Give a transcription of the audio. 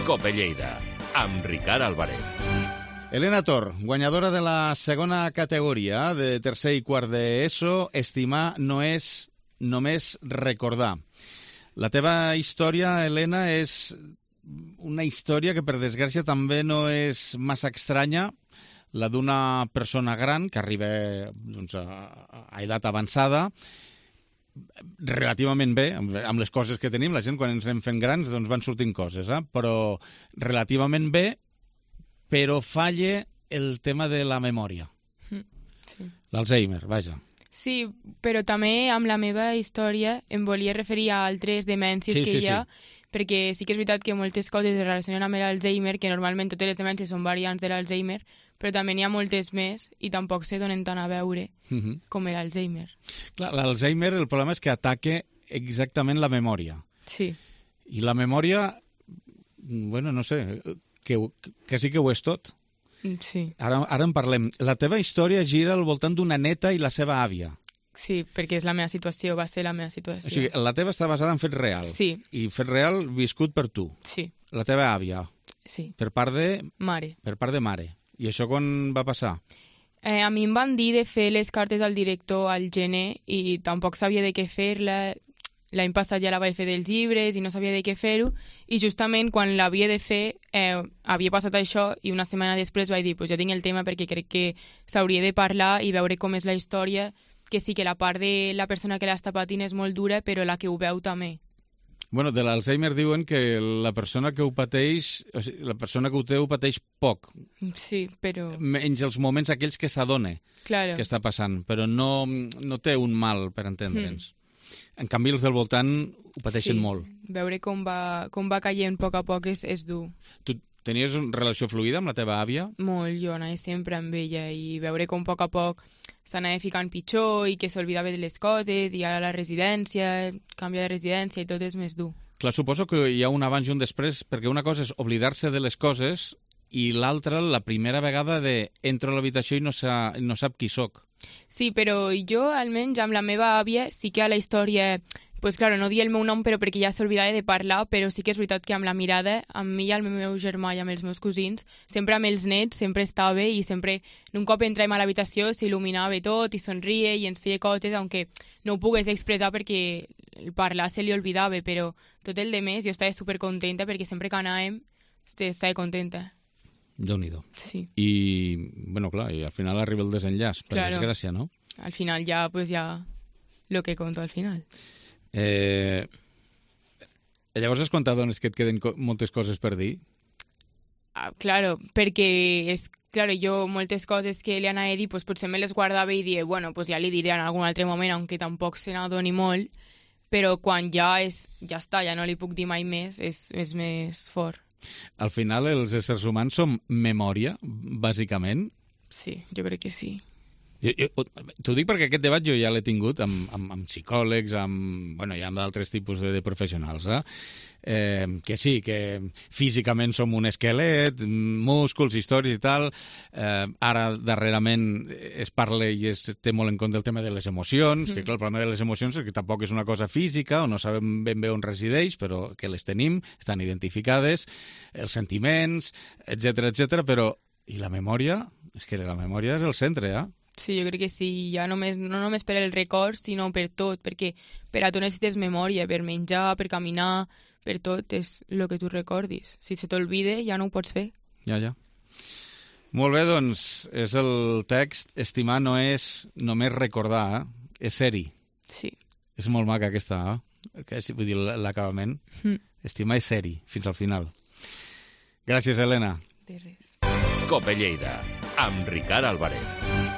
Cope Lleida, amb Ricard Álvarez. Elena Tor, guanyadora de la segona categoria de tercer i quart d'ESO, estimar no és només recordar. La teva història, Elena, és una història que, per desgràcia, també no és massa estranya, la d'una persona gran que arriba a edat avançada, relativament bé, amb les coses que tenim. La gent, quan ens anem fent grans, doncs van sortint coses, però relativament bé, però falla el tema de la memòria. Sí. L'Alzheimer, vaja. Sí, però també amb la meva història em volia referir a altres demències que hi ha, perquè sí que és veritat que moltes coses es relacionen amb l'Alzheimer, que normalment totes les demències són variants de l'Alzheimer, però també n'hi ha moltes més i tampoc se donen tant a veure com l'Alzheimer. Clar, l'Alzheimer, el problema és que ataca exactament la memòria. Sí. I la memòria, bueno, no sé, que sí que ho és tot. Sí. Ara en parlem. La teva història gira al voltant d'una neta i la seva àvia. Sí, perquè és la meva situació, va ser la meva situació. O sigui, la teva està basada en fet real. Sí. I fet real viscut per tu. Sí. La teva àvia. Sí. Per part de... Mare. Per part de mare. I això quan va passar? A mi em van dir de fer les cartes al director al gener i tampoc sabia de què fer-la. L'any passat ja la vaig fer dels llibres i no sabia de què fer-ho. I justament quan l'havia de fer havia passat això i una setmana després vaig dir pues ja tinc el tema perquè crec que s'hauria de parlar i veure com és la història, que sí que la part de la persona que l'està patint és molt dura, però la que ho veu també. Bueno, de l'Alzheimer diuen que la persona que ho pateix, o sigui, la persona que ho té ho pateix poc. Sí, però... Menys els moments aquells que s'adona que està passant, però no té un mal, per entendre'ns. En canvi, els del voltant ho pateixen molt. Veure com va caient a poc és dur. Tu tenies una relació fluida amb la teva àvia? Molt, jo anava sempre amb ella i veure com a poc s'anava ficant pitjor i que s'oblidava de les coses i ara la residència, canvia de residència i tot és més dur. Clar, suposo que hi ha un abans i un després, perquè una cosa és oblidar-se de les coses i l'altra, la primera vegada de entro a l'habitació i no sap qui sóc. Sí, però jo, almenys, amb la meva àvia, sí que a la història... Pues claro, no dir el meu nom, però perquè ja s'oblidava de parlar, però sí que és veritat que amb la mirada, amb mi i amb el meu germà i amb els meus cosins, sempre amb els nets, sempre estava i sempre, un cop entràvem a l'habitació, s'il·luminava tot i somria i ens feia coses, aunque no ho pogués expressar perquè el parlar se li oblidava, però tot el de més jo estava supercontenta perquè sempre que anàvem estava contenta. Déu-n'hi-do. Sí. I, bueno, clar, i al final arriba el desenllaç, per desgràcia, no? Al final ja, pues ja, lo que conto al final. Llavors has contat doncs, que et queden moltes coses per dir? Claro, perquè jo moltes coses que li anava a dir pues, potser me les guardava i dir, bueno, pues ja li diré en algun altre moment, aunque tampoc se n'adoni molt, però quan ja està, ja no li puc dir mai més, és més fort. Al final els éssers humans som memòria, bàsicament? Sí, jo crec que sí. T'ho dic perquè aquest debat jo ja l'he tingut amb psicòlegs, amb d'altres tipus de professionals, que sí, que físicament som un esquelet, músculs, històries i tal. Ara, darrerament, es parla i es té molt en compte el tema de les emocions, que clar, el problema de les emocions és que tampoc és una cosa física, o no sabem ben bé on resideix, però que les tenim, estan identificades, els sentiments, etc, però... I la memòria? És que la memòria és el centre, Sí, jo crec que sí, ja no només per el record, sinó per tot, perquè per a tu necessites memòria, per menjar, per caminar, per tot, és el que tu recordis. Si se t'olvida, ja no ho pots fer. Ja. Molt bé, doncs, és el text. Estimar no és només recordar, és ser-hi. Sí. És molt maca aquesta, vull dir, l'acabament. Estimar és ser-hi, fins al final. Gràcies, Elena. De res. Cope Lleida, amb Ricard Álvarez.